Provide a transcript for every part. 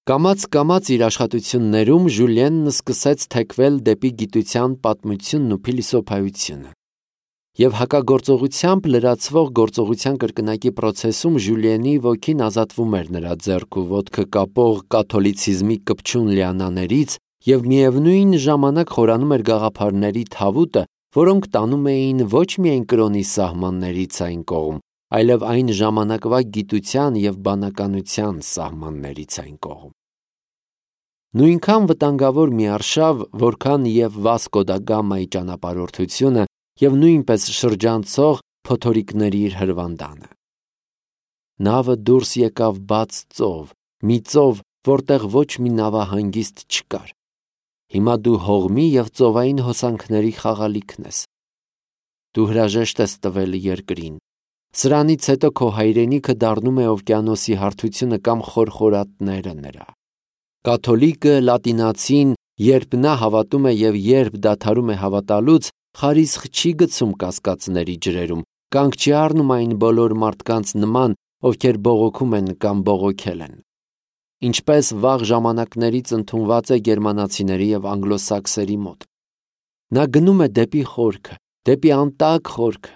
Կամաց իր աշխատություններում Ժուլիենն սկսեց թեքվել դեպի գիտության պատմությունն ու փիլիսոփայությունը։ Եվ հակագործողությամբ լրացվող գործողության կրկնակի process-ում Ժուլիենի ոգին ազատվում էր նրա ձեռք ու ոտքը կապող կաթոլիցիզմի կպչուն լիանաներից և միևնույն ժամանակ խորանում էր գաղափարների թավուտը, որոնք տանում էին ոչ միայն կրոնի սահմաններից այն կողմ, այլև այն ժամանակվա գիտության և բանականության սահմաններից այն կողմ։ Նույնքան վտանգավոր մի արշավ, որքան և Վասկո դա Գամայի ճանապարհորդությունը և նույնպես շրջանցող փոթորիկների իր հրվանդանը։ Նավը դուրս եկավ բաց ծով, մի ծով, որտեղ ոչ մի նավահանգիստ չկար։ Հիմա դու հողմի և ծովային հոսանքների խաղալիքն ես։ Դու հրաժեշտ ես տվել երկրին։ Սրանից հետո քո հայրենիքը դառնում է օվկիանոսի հարթությունը կամ խորխորատները նրա։ Կաթոլիկը, լատինացին, երբ նա հավատում է և երբ դադարում է հավատալուց, խարիսխ չի գցում կասկածների ջրերում, կանգ չի առնում այն բոլոր մարդկանց նման, ովքեր բողոքում են կամ բողոքել են։ Ինչպես վաղ ժամանակներից ընդունված է գերմանացիների և անգլոսաքսերի մոտ։ Նա գնում է դեպի խորքը, դեպի անտակ խորքը։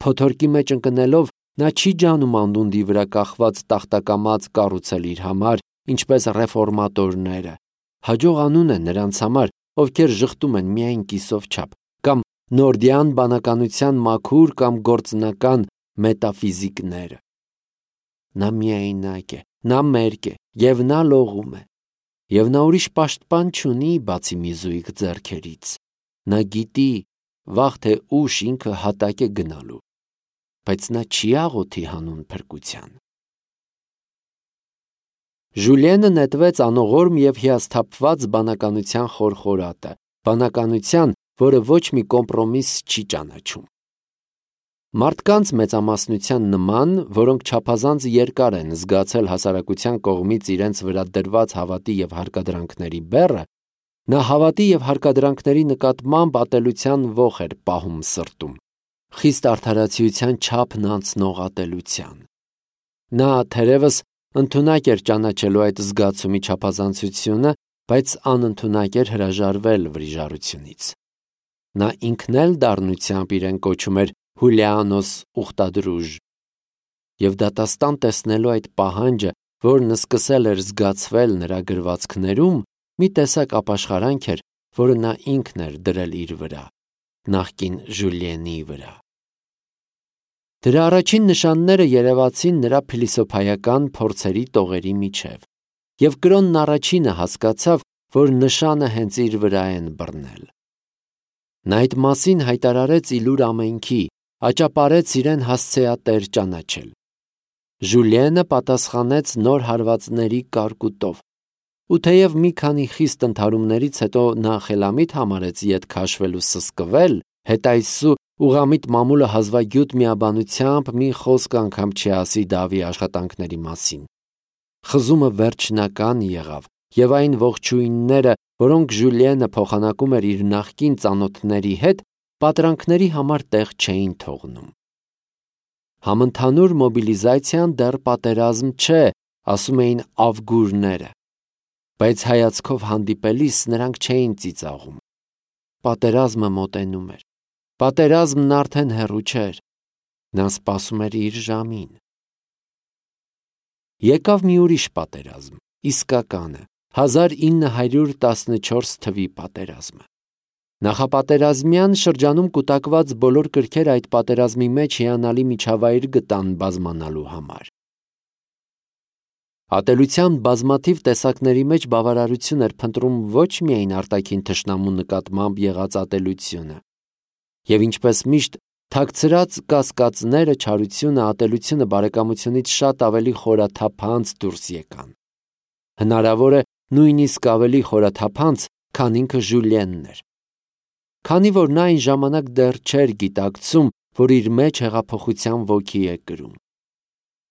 Փոթորկի մեջ ընկնելով նա չի ջանում անդունդի վրա կախված տախտակամած կառուցել իր համար, ինչպես ռեֆորմատորները։ Հաջող անուն է նրանց համար, ովքեր ժխտում են միայն կիսով չափ, կամ նորդյան բանականության մաքուր կամ գործնական մետաֆիզիկները։ Նա միայնակ է, նա մերկ է, և նա լողում է։ Եվ նա ուրիշ պաշտպան չունի, բացի մի զույգ ձեռքերից։ Նա գիտի, վաղ թե ուշ ինքը հատակ է գնալու, բայց նա չի աղոթի հանուն փրկության։ Ժուլիենը նետվեց անողորմ և հիասթափված բանականության խորխորատը, բանականության, որը ոչ մի կոմպրոմիս չի ճանաչում։ Մարդկանց մեծամասնության նման, որոնք չափազանց երկար են զգացել հասարակության կողմից իրենց վրա դրված հավատի և հարկադրանքների բեռը, նա հավատի և հարկադրանքների նկատմամբ ատելության ոխ էր պահում սրտում, խիստ արդարացիության չափն անցնող ատելության։ Նա թերևս ընդունակ էր ճանաչելու այդ զգացումի չափազանցությունը, բայց անընդունակ էր հրաժարվել վրիժառությունից։ Նա ինքն էլ դառնությամբ իրեն կոչում էր Հուլիանոս ուխտադրուժ, և դատաստան տեսնելու այդ պահանջը, որն սկսել էր զգացվել նրա գրվածքներում, մի տեսակ ապաշխարանք էր, որը նա ինքն էր դրել իր վրա, նախկին Ժուլիենի վրա։ Դրա առաջին նշանները երևացին նրա փիլիսոփայական փորձերի տողերի միջև, և կրոնն առաջինը հասկացավ, որ նշանը հենց իր վրա են բռնել։ Նա այդ մասին հայտարարեց իլուր ամենքի, աճապարեց իրեն հասցեատեր ճանաչել։ Ժուլիենը պատասխանեց նոր հարվածների կարկուտով, ու թեև մի քանի խիստ ընդհարումներից հետո նա խելամիտ համարեց ետ քաշվել ու սսկվել, հետայսու ուղղամիտ մամուլը հազվագյուտ միաբանությամբ մի խոսք անգամ չի ասի Դավի աշխատանքների մասին։ Խզումը վերջնական եղավ, և այն ողջույնները, որոնք Ժուլիենը փոխանակում էր իր նախկին ծանոթների հետ, պատրանքների համար տեղ չէին թողնում։ Համընդհանուր մոբիլիզացիան դեռ պատերազմ չէ, ասում էին ավգուրները, բայց հայացքով հանդիպելիս նրանք չէին ծիծաղում։ Պատերազմը մոտենում էր։ Պատերազմն արդեն հեռու չէր։ Նա սպասում էր իր ժամին։ Եկավ մի ուրիշ պատերազմ, իսկականը, 1914 թվի պատերազմը։ Նախապատերազմյան շրջանում կուտակված բոլոր կրքերը այդ պատերազմի մեջ հիանալի միջավայր գտան բազմանալու համար։ Ատելության բազմաթիվ տեսակների մեջ բավարարություն էր փնտրում ոչ միայն արտաքին թշնամու նկատմամբ եղած ատելությունը, և ինչպես միշտ, թաքցրած կասկածները, չարությունը, ատելությունը բարեկամությունից շատ ավելի խորաթափանց դուրս եկան։ Հնարավոր է նույնիսկ ավելի խորաթափանց, քան ինքը Ժուլիենն էր։ Քանի որ նա այն ժամանակ դեռ չէր գիտակցում, որ իր մեջ հեղափոխության ոգի է կրում։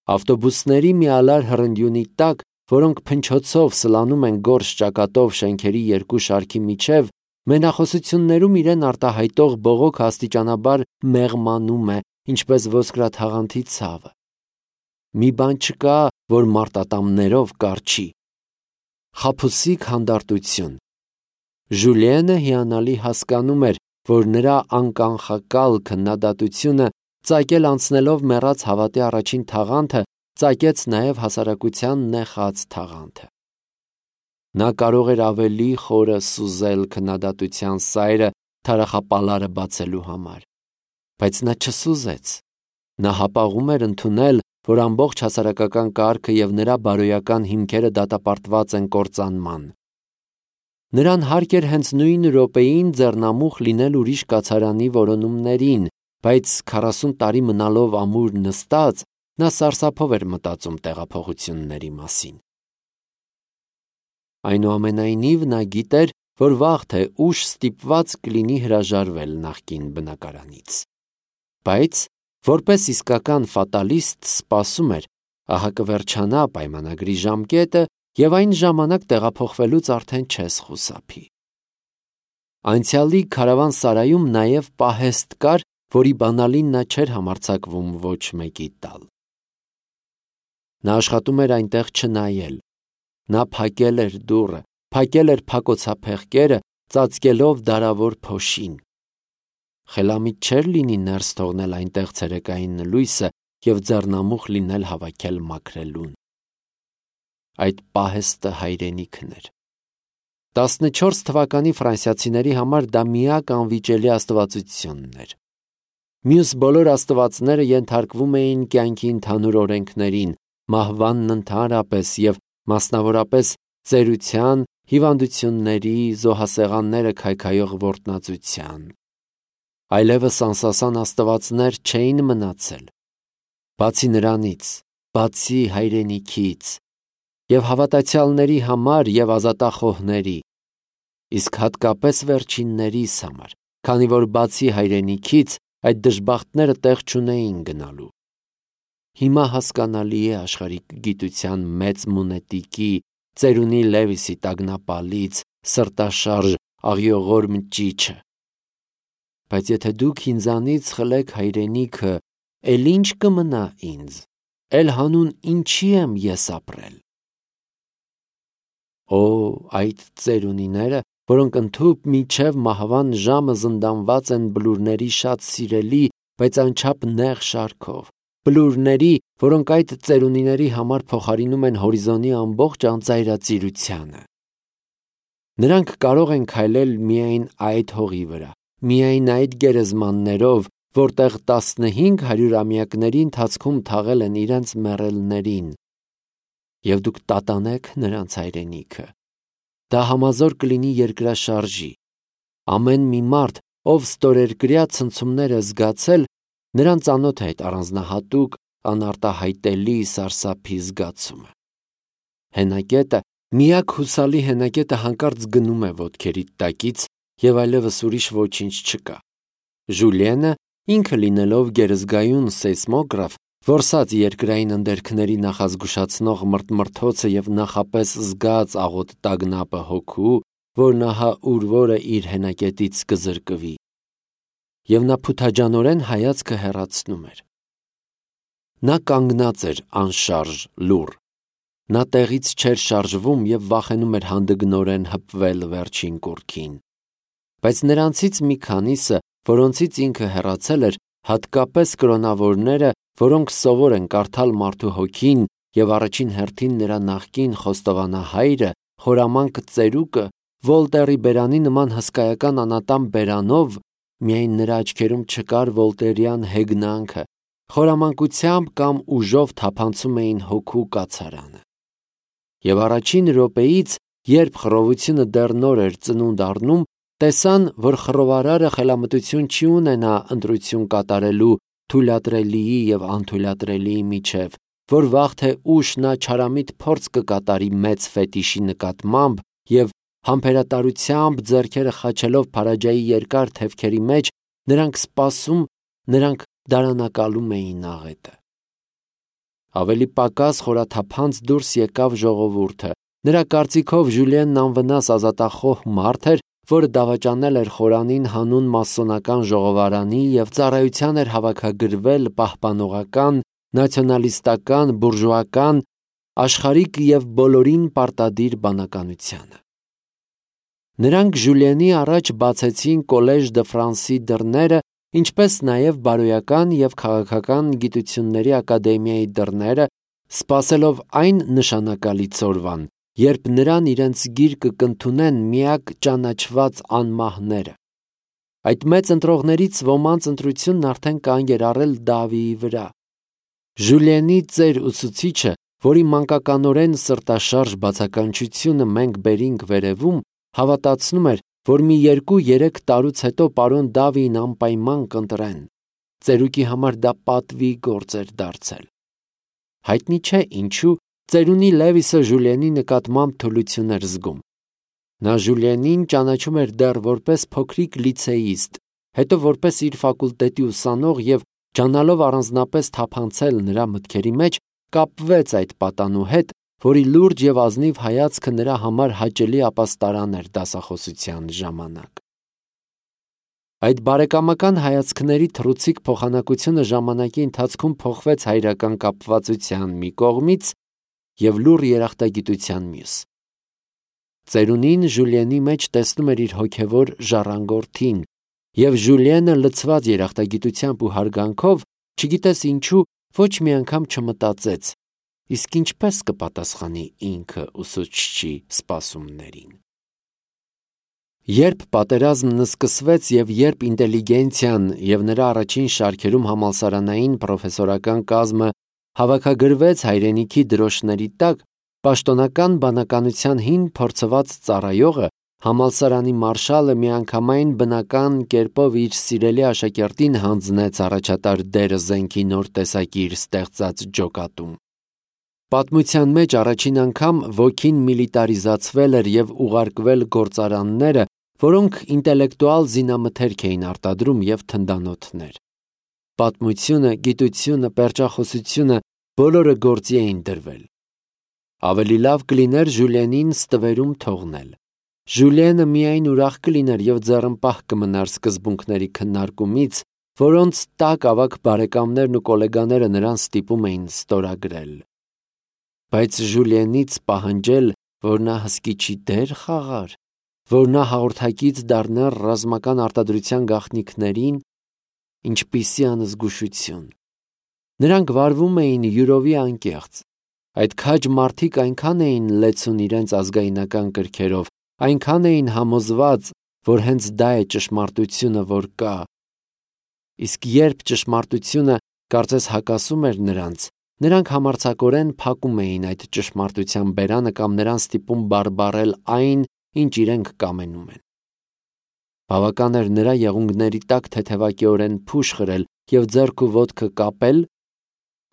Ավտոբուսների մի ալար հռնդյունի տակ, որոնք փնչոցով սլանում են գորշ ճակատով շենքերի երկու շարքի միջև, մենախոսություններում իրեն արտահայտող բողոքը աստիճանաբար մեղմանում է, ինչպես ոսկրաթաղանթի ցավը։ Մի բան չկա, որ մարտատամներով կառչի։ խաբուսիկ հանդարտություն։ Ժուլիենը հիանալի հասկանում էր, որ նրա անկանխակալ քննադատությունը ծագել անցնելով մեռած հավատի առաջին թաղանթը, ծագեց նաև հասարակության նեխած թաղանթը։ Նա կարող էր ավելի խորը սուզել քննադատության սայրը թարախապալարը բացելու համար, բայց նա չսուզեց։ Նա հապաղում էր ընդունել, որ ամբողջ հասարակական կարգը և նրա բարոյական հիմքերը դատապարտված են կործանման։ Նրան հարկ էր հենց նույն րոպեին ձեռնամուխ լինել ուրիշ կացարանի որոնումներին, բայց 40 տարի մնալով ամուր նստած, նա սարսափով էր մտածում տեղափոխությունների մասին։ Այնուամենայնիվ նա գիտեր, որ վաղ թե ուշ ստիպված կլինի հրաժարվել նախկին բնակարանից։ Բայց որպես իսկական ֆատալիստ սպասում էր, ահա կվերջանա պայմանագրի ժամկետը և այն ժամանակ տեղափոխվելուց արդեն չես խուսափի։ Անցյալի քարավանսարայում նաև պահեստ կար, որի բանալին նա չէր համարձակվում ոչ մեկի տալ։ Նա աշխատում էր այնտեղ չնայել։ Նա փակել էր դուռը, փակել էր փակոցափեղկերը, ծածկելով դարավոր փոշին։ Խելամիտ չէր լինի ներս թողնել այնտեղ ցերեկային լույսը և ձեռնամուխ լինել հավաքել մաքրելուն։ Այդ պահեստը հայրենիքն էր։ 14 թվականի ֆրանսիացիների համար դա միակ անվիճելի աստվածությունն էր։ Մյուս բոլոր աստվածները ենթարկվում էին կյանքի ընդհանուր օրենքներին, մահվանն ընդհանրապես և մասնավորապես ծերության, հիվանդությունների, զոհասեղանները քայքայող որտնածության։ Այլևս անսասան աստվածներ չէին մնացել։ Բացի նրանից, բացի հայրենիքից, և հավատացյալների համար և ազատախոհների, իսկ հատկապես վերջիններիս համար, քանի որ բացի հայրենիքից այդ դժբախտները տեղ չունեին գնալու։ Հիմա հասկանալի է աշխարհիկ գիտության մեծ մունետիկի, ծերունի Լևիսի տագնապալից, սրտաշարժ, աղիողոր մճիչը։ Բայց եթե դուք ինձանից խլեք հայրենիքը, էլ ինչ կմնա ինձ, էլ հանուն ինչի եմ ես ապրել։ Օ, այդ ծերունիները, որոնք ընդհուպ մինչև մահվան ժամը զնդանված են բլուրների շատ սիրելի, բայց անչափ նեղ շարքով, բլուրների, որոնք այդ ծերունիների համար փոխարինում են հորիզոնի ամբողջ անծայրածիրությանը։ Նրանք կարող են քայլել միայն այդ հողի վրա, միայն այդ գերեզմաններով, որտեղ 15 հարյուրամյակների ընթացքում թաղել են իրենց մեռելներին, և դուք տատանեք նրանց հայրենիքը։ Դա համազոր կլինի երկրաշարժի։ Ամեն մի մարդ, ով ստորերկրյա ցնցումներ է զգացել, նրան ծանոթ է այդ առանձնահատուկ, անարտահայտելի սարսափի զգացումը։ Հենակետը, միակ հուսալի հենակետը հանկարծ գնում է ոտքերիդ տակից և այլևս ուրիշ ոչինչ չկա։ Ժուլիենը, ինքը լինելով գերզգայուն սեյսմոգրաֆ, որսած երկրային ընդերքների նախազգուշացնող մրթմրթոցը և նախապես զգաց աղոտ տագնապը հոգու, որ ահա ուր որը իր հենակետից կզրկվի։ Եվ նա փութաջանորեն հայացքը հեռացնում էր։ Նա կանգնած էր անշարժ, լուռ։ Նա տեղից չէր շարժվում և վախենում էր հանդգնորեն հպվել վերջին կուռքին։ Բայց նրանցից մի քանիսը, որոնցից ինքը հեռացել էր, հատկապես կրոնավորները, որոնք սովոր են կարդալ մարդու հոգին և առաջին հերթին նրա նախկին խոստովանահայրը, խորամանկ ծերուկը, Վոլտերի բերանի նման հսկայական անատամ բերանով, միայն նրա աչքերում չկար վոլտերյան հեգնանքը, խորամանկությամբ կամ ուժով թափանցում էին հոգու կացարանը։ Եվ առաջին րոպեից, երբ խռովությունը դեռ նոր էր ծնունդ առնում, տեսան, որ խռովարարը խելամտություն չի ունենա ընտրություն կատարելու թույլատրելիի և անթույլատրելիի միջև, որ վաղ թե ուշ նա չարամիտ փորձ կկատարի մեծ ֆետիշի նկատմամբ և համբերատարությամբ ձեռքերը խաչելով Փարաջայի երկար թևքերի մեջ, նրանք սպասում, նրանք դարանակալում էին աղետը։ Ավելի պակաս խորաթափանց դուրս եկավ ժողովուրդը։ Նրա կարծիքով Ժուլիենն անվնաս ազատախոհ մարդ էր, որը դավաճանել էր խորանին հանուն մասոնական ժողովարանի և ծառայության էր հավաքագրվել պահպանողական, նացիոնալիստական, բուրժուական, աշխարհիկ եւ բոլորին պարտադիր բանականությանը։ Նրանք Ժուլիենի առաջ բացեցին Կոլեժ դը Ֆրանսի դռները, ինչպես նաև բարոյական եւ քաղաքական գիտությունների ակադեմիայի դռները, սպասելով այն նշանակալից օրվան, երբ նրան իրենց գիրկը կընդունեն միակ ճանաչված անմահները։ Այդ մեծ ընտրողներից ոմանց ընտրությունն արդեն կանգ էր առել Դավիի վրա։ Ժուլիենի ծեր ուսուցիչը, որի մանկականորեն սրտաշարժ բացականչությունը մենք բերինք վերևում, հավատացնում էր, որ մի 2-3 տարուց հետո պարոն Դավիին անպայման կընտրեն։ Ծերուկի համար դա պատվի գործ էր դարձել։ Հայտնի չէ ինչու ծերունի Լևիսը Ժուլիենի նկատմամբ թուլություն էր զգում։ Նա Ժուլիենին ճանաչում էր դեռ որպես փոքրիկ լիցեիստ, հետո որպես իր ֆակուլտետի ուսանող եւ ճանալով առանձնապես թափանցել նրա մտքերի մեջ, կապվեց այդ պատանու հետ, որի լուրջ եւ ազնիվ հայացքը նրա համար հաճելի ապաստարան էր դասախոսության ժամանակ։ Այդ բարեկամական հայացքների թռուցիկ փոխանակությունը ժամանակի ընթացքում փոխվեց հայրական կապվածության մի կողմից եւ լուռ երախտագիտության մյուս։ Ծերունին Ժուլիենի մեջ տեսնում էր իր հոգևոր ժառանգորդին, եւ Ժուլիենը լցված երախտագիտությամբ ու հարգանքով, չգիտես ինչու, ոչ մի անգամ չմտածեց, իսկ ինչպես կպատասխանի ինքը ուսուցչի սպասումներին։ Երբ պատերազմն սկսվեց եւ երբ ինտելիգենցիան եւ նրա առաջին շարքերում համալսարանային պրոֆեսորական կազմը հավաքագրվեց հայրենիքի դրոշների տակ, պաշտոնական բանականության հին փորձված ծառայողը, համալսարանի մարշալը միանգամայն բնական կերպով իր սիրելի աշակերտին հանձնեց առաջատար դերը զենքի նոր տեսակի իր ստեղծած ջոկատում։ Պատմության մեջ առաջին անգամ ոգին միլիտարիզացվել էր եւ ուղարկվել գործարանները, որոնք ինտելեկտուալ զինամթերք էին արտադրում եւ թնդանոթներ։ Պատմությունը, գիտությունը, պերճախոսությունը բոլորը գործի էին դրվել։ Ավելի լավ կլիներ Ժուլիենին ստվերում թողնել։ Ժուլիենը միայն ուրախ կլիներ եւ ձեռնպահ կմնար սկզբունքների քննարկումից, որոնց տակ ավագ բարեկամներն ու գոլեգաները նրան ստիպում էին ստորագրել։ Բայց Ժուլիենից պահանջել, որ նա հսկիչի դեր խաղար, որ նա հաղորդակից դառներ ռազմական արտադրության գաղտնիքներին, ինչպիսի անզգուշություն։ Նրանք վարվում էին յուրովի անկեղծ։ Այդ քաջ մարդիկ այնքան էին լեցուն իրենց ազգայնական կրքերով, այնքան էին համոզված, որ հենց դա է ճշմարտությունը, որ կա։ Իսկ երբ ճշմարտությունը կարծես հակասում էր նրանց, նրանք համարձակորեն փակում էին այդ ճշմարտության բերանը կամ նրան ստիպում բարբառել այն, ինչ իրենք կամենում են։ Բավական էր նրա եղունգների տակ թեթևակիորեն փուշ խրել եւ ձեռք ու ոտքը կապել,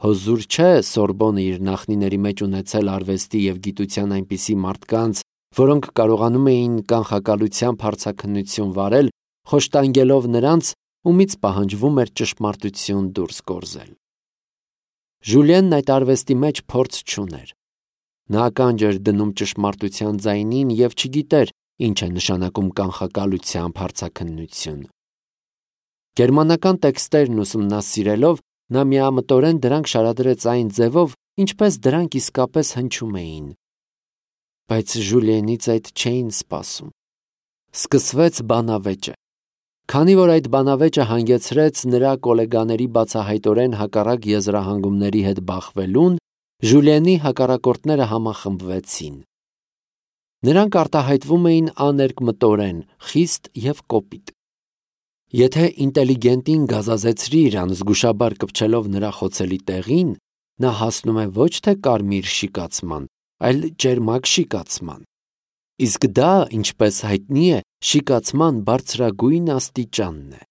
հոզուր չէ Սորբոնը իր նախնիների մեջ ունեցել արվեստի եւ գիտության այնպիսի մարդկանց, որոնք կարողանում էին կանխակալությամբ հարցաքննություն վարել, խոշտանգելով նրանց, ումից պահանջվում էր ճշմարտություն դուրս գործել։ Ժուլիենն այդ արվեստի մեջ փորձ չուներ։ Նա ականջ էր դնում ճշմարտության ձայնին եւ չգիտեր, ինչ է նշանակում կանխակալությամբ հարցաքննություն։ Գերմանական տեքստերն ուսումնասիրելով, նա միամտորեն դրանք շարադրեց այն ձևով, ինչպես դրանք իսկապես հնչում էին։ Բայց Ժուլիենից այդ չէին սպասում։ Սկսվեց բանավեճը։ Քանի որ այդ բանավեճը հանգեցրեց նրա գոլեգաների բացահայտորեն հակառակ եզրահանգումների հետ բախվելուն, Ժուլիենի հակառակորդները համախմբվեցին։ Նրանք արտահայտվում էին աներկմտորեն, խիստ եւ կոպիտ։ Եթե ինտելիգենտին գազազեցրիր անզգուշաբար կպչելով նրա խոցելի տեղին, նա հասնում է ոչ թե կարմիր շիկացման, այլ ճերմակ շիկացման։ Իսկ դա, ինչպես հայտնի է, շիկացման բարձրագույն աստիճանն է։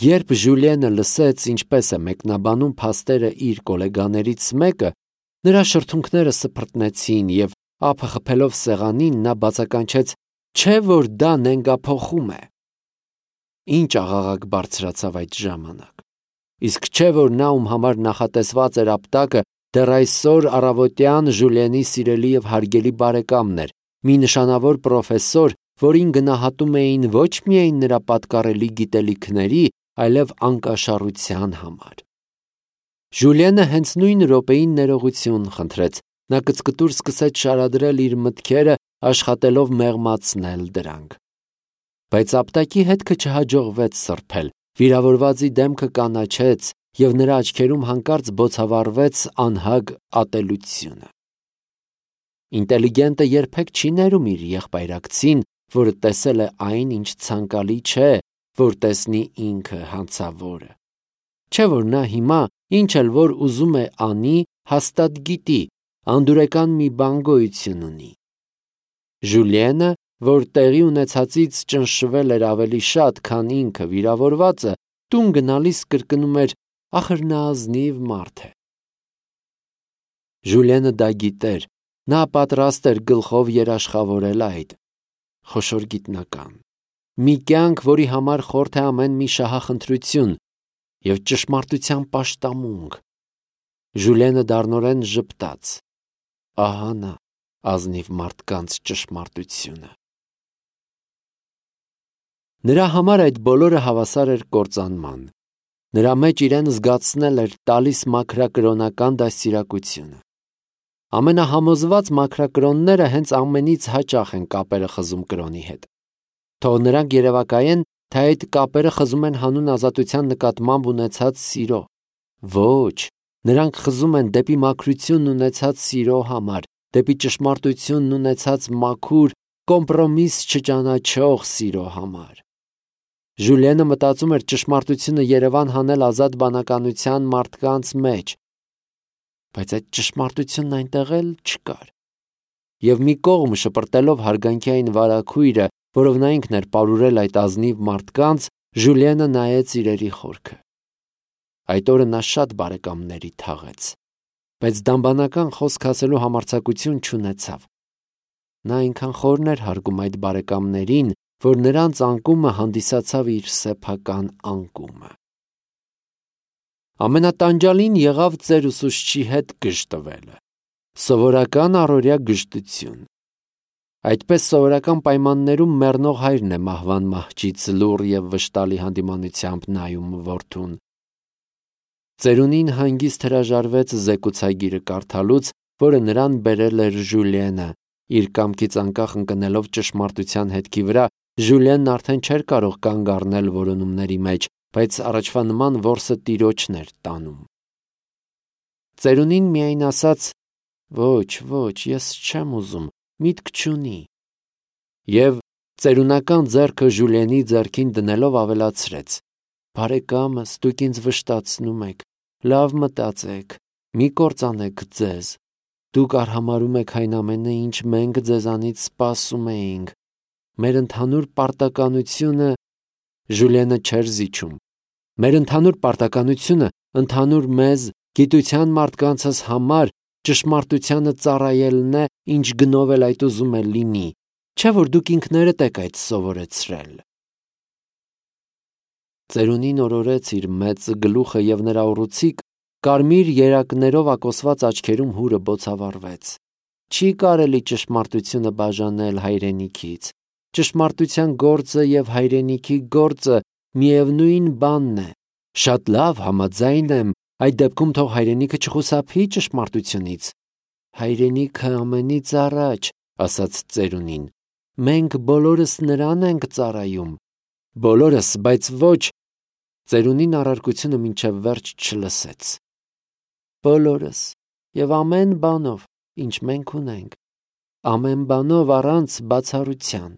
Երբ Ժուլիենը լսեց, ինչպես է մեկնաբանում փաստերը իր գոլեգաներից մեկը, նրա շրթունքները սփռտնեցին եւ ափը խփելով սեղանին նա բացականչեց. «Չէ որ դա նենգափոխում է»։ Ինչ աղաղակ բարձրացավ այդ ժամանակ։ Իսկ չէ որ նա, ում համար նախատեսված էր ապտակը, դեռ այսօր առավոտյան Ժուլիենի սիրելի եւ հարգելի բարեկամն էր, մի նշանավոր պրոֆեսոր, որին գնահատում էին ոչ միայն նրա պատկառելի գիտելիքների, այլև անկաշառության համար։ Ժուլիենը հենց նույն րոպեին ներողություն խնդրեց, նա կծկտուր սկսեց շարադրել իր մտքերը, աշխատելով մեղմացնել դրանք։ Բայց ապտակի հետքը չհաջողվեց սրբել, վիրավորվածի դեմքը կանաչեց և նրա աչքերում հանկարծ բոցավառվեց անհագ ատելությունը։ Ինտելիգենտը երբեք չի ներում իր եղբայրակցին, որը տեսել է այն, ինչ ցանկալի չէ, որ տեսնի ինքը հանցավորը։ Չէ՞ որ նա հիմա, ինչ էլ որ ուզում է անի, հաստատ գիտի, անդուրեկան մի բան գոյություն ունի։ Ժուլիենը, որ տեղի ունեցածից ճնշվել էր ավելի շատ, քան ինքը վիրավորվածը, տուն գնալիս կրկնում էր. «Ախր նա ազնիվ մարդ է»։ Ժուլիենը դա գիտեր, նա պատրաստ էր գլխով երաշխավորել այդ խոշոր գիտնական։ Մի կյանք, որի համար խորթ է ամեն մի շահախնդրություն և ճշմարտության պաշտամունք։ Ժուլիենը դառնորեն ժպտաց. ահա նա, ազնիվ մարդկանց ճշմարտությունը։ Նրա համար այդ բոլորը հավասար էր կործանման։ Նրա մեջ իրեն զգացնել էր տալիս մաքրակրոնական դաստիարակությունը։ Ամենահամոզված մաքրակրոնները հենց ամենից հաճախ են կապերը խզում կրոնի հետ։ Թող նրանք երևակայեն, թե այդ կապերը խզում են հանուն ազատության նկատմամբ ունեցած սիրո։ Ոչ, նրանք խզում են դեպի մաքրությունն ունեցած սիրո համար, դեպի ճշմարտությունն ունեցած մաքուր, կոմպրոմիս չճանաչող սիրո համար։ Ժուլիենը մտածում էր ճշմարտությունը Երևան հանել ազատ բանականության մարդկանց մեջ, բայց այդ ճշմարտությունն այնտեղ էլ չկար։ Եվ մի կողմ շպրտելով հարգանքային վարագույրը, որով նա ինքն էր պարուրել այդ ազնիվ մարդկանց, Ժուլիենը նայեց իրերի խորքը։ Այդ օրը նա շատ բարեկամների թաղեց, բայց դամբանական խոսք ասելու համարձակություն չունեցավ։ Նա այնքան խորն էր հարգում այդ բարեկամներին, որ նրանց անկումը հանդիսացավ իր սեփական անկումը։ Ամենատանջալին եղավ ծեր ուսուցչի հետ գժտվելը։ Սովորական առօրյա գժտություն։ Այդպես սովորական պայմաններում մեռնող հայրն է մահվան մահճից լուռ և վշտալի հանդիմանությամբ նայում որդուն։ Ծերունին հանգիստ հրաժարվեց զեկուցագիրը կարդալուց, որը նրան բերել էր Ժուլիենը։ Իր կամքից անկախ ընկնելով ճշմարտության հետքի վրա, Ժուլիենն արդեն չէր կարող կանգ առնել որոնումների մեջ, բայց առաջվա նման որսը տիրոջն էր տանում։ Ծերունին միայն ասաց. «Ոչ, ես չեմ ուզում, միտք չունի»։ Եվ ծերունական ձեռքը Ժուլիենի ձեռքին դնելով ավելացրեց. «Բարեկամս, դուք ինձ վշտացնում եք, լավ մտածեք, մի կործանեք ձեզ։ Դուք արհամարհում եք այն ամենը, ինչ մենք ձեզանից սպասում էինք։ Մեր ընդհանուր պարտականությունը…» Ժուլիենը չէր զիջում։ «Մեր ընդհանուր պարտականությունը ընդհանուր մեզ, գիտության մարդկանցս համար ճշմարտությանը ծառայելն է, ինչ գնով էլ այդ ուզում է լինի, չէ՞ որ դուք ինքներդ եք այդ սովորեցրել»։ Ծերունին օրորեց իր մեծ գլուխը և նրա ուռուցիկ, կարմիր երակներով ակոսված աչքերում հուրը բոցավառվեց։ Չի կարելի ճշմարտությունը բաժանել հայրենիքից։ Ճշմարտության գործը և հայրենիքի գործը միևնույն բանն է։ Շատ լավ, համաձայն եմ, այդ դեպքում թող հայրենիքը չխուսափի ճշմարտությունից։ Հայրենիքը ամենից առաջ, ասաց ծերունին։ Մենք բոլորս նրան ենք ծառայում։ Բոլորս, բայց ոչ… Ծերունին առարկությունը մինչև վերջ չլսեց։ Բոլորս և ամեն բանով, ինչ մենք ունենք, ամեն բանով առանց բացառության։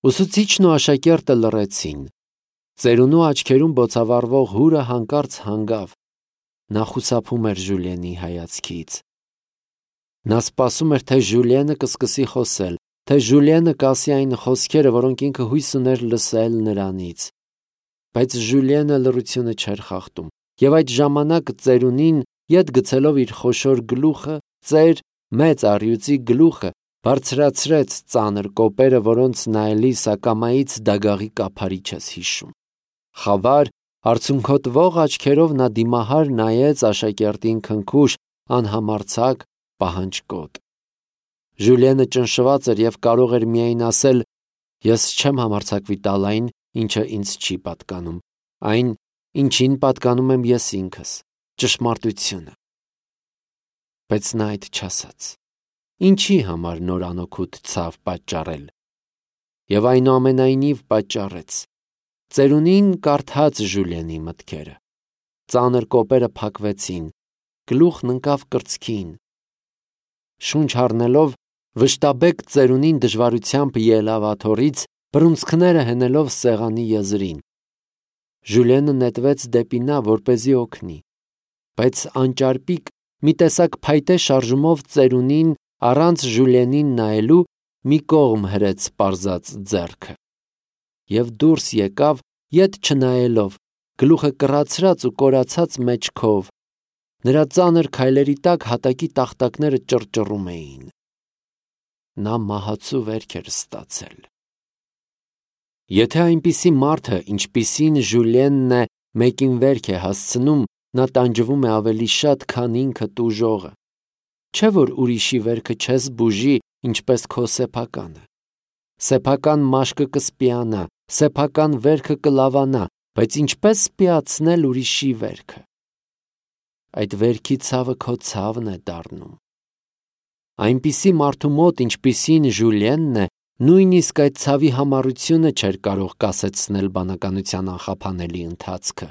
Ուսուցիչն ու աշակերտը լռեցին։ Ծերունու աչքերում բոցավառվող հուրը հանկարծ հանգավ։ Նա խուսափում էր Ժուլիենի հայացքից։ Նա սպասում էր, թե Ժուլիենը կսկսի խոսել, թե Ժուլիենը կասի այն խոսքերը, որոնք ինքը հույս ուներ լսել նրանից։ Բայց Ժուլիենը լռությունը չէր խախտում, և այդ ժամանակ ծերունին, ետ գցելով իր խոշոր գլուխը, մեծ առյուծի գլուխը, բարձրացրեց ծանր կոպերը, որոնց նայելիս ակամայից դագաղի կափարիչ ես հիշում։ Խավար, արցունքոտվող աչքերով նա դիմահար նայեց աշակերտին քնքուշ, անհամարձակ, պահանջկոտ։ Ժուլիենը ճնշված էր և կարող էր միայն ասել. «Ես չեմ համարձակվի տալ այն, ինչը ինձ չի պատկանում, այն, ինչին պատկանում եմ ես ինքս, ճշմարտությունը։ Բայց նա այդ չասաց։ Ինչի համար նոր անօգուտ ցավ պատճառել։ Եվ այնուամենայնիվ պատճառեց։ Ծերունին կարդաց Ժուլիենի մտքերը։ Ծանր կոպերը փակվեցին, գլուխն ընկավ կրծքին։ Շունչ առնելով, վշտաբեկ ծերունին դժվարությամբ ելավ աթոռից, բռունցքները հենելով սեղանի եզրին։ Ժուլիենը նետվեց դեպի նա, որպեսզի օգնի, բայց անճարպիկ մի տեսակ փայտե շարժումով ծերունին առանց Ժուլիենին նայելու մի կողմ հրեց պարզած ձեռքը և դուրս եկավ ետ չնայելով, գլուխը կռացրած ու կորացած մեջքով։ Նրա ծանր քայլերի տակ հատակի տախտակները ճռճռում էին։ Նա մահացու վերք էր ստացել։ Եթե այնպիսի մարդը, ինչպիսին Ժուլիենն է, մեկին վերք է հասցնում, նա տանջվում է ավելի շատ, քան ինքը տուժողը։ Չէ՞ որ ուրիշի վերքը չես բուժի, ինչպես քո սեփականը։ Սեփական մաշկը կսպիանա, սեփական վերքը կլավանա, բայց ինչպես սպիացնել ուրիշի վերքը։ Այդ վերքի ցավը քո ցավն է դառնում։ Այնպիսի մարդու մոտ, ինչպիսին Ժուլիենն է, նույնիսկ այդ ցավի համառությունը չէր կարող կասեցնել բանականության անխափանելի ընթացքը։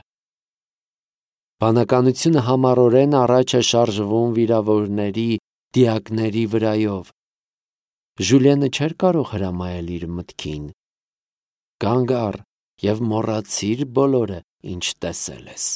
Բանականությունը համառորեն առաջ է շարժվում վիրավորների, դիակների վրայով։ Ժուլիենը չէր կարող հրամայել իր մտքին. «Կանգ առ և մոռացիր բոլորը, ինչ տեսել ես»։